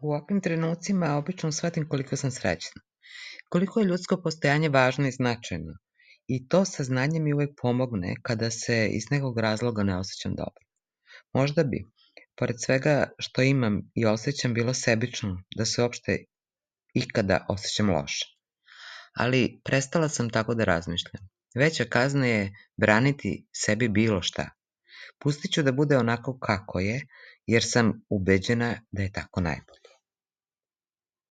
U ovakvim trenucima obično shvatim koliko sam srećna, koliko je ljudsko postojanje važno i značajno. I to saznanje mi uvek pomogne kada se iz nekog razloga ne osjećam dobro. Možda bi, pored svega što imam i osjećam, bilo sebično da se uopšte ikada osjećam loše. Ali prestala sam tako da razmišljam. Veća kazna je braniti sebi bilo šta. Pustit ću da bude onako kako je, jer sam ubeđena da je tako najbolje.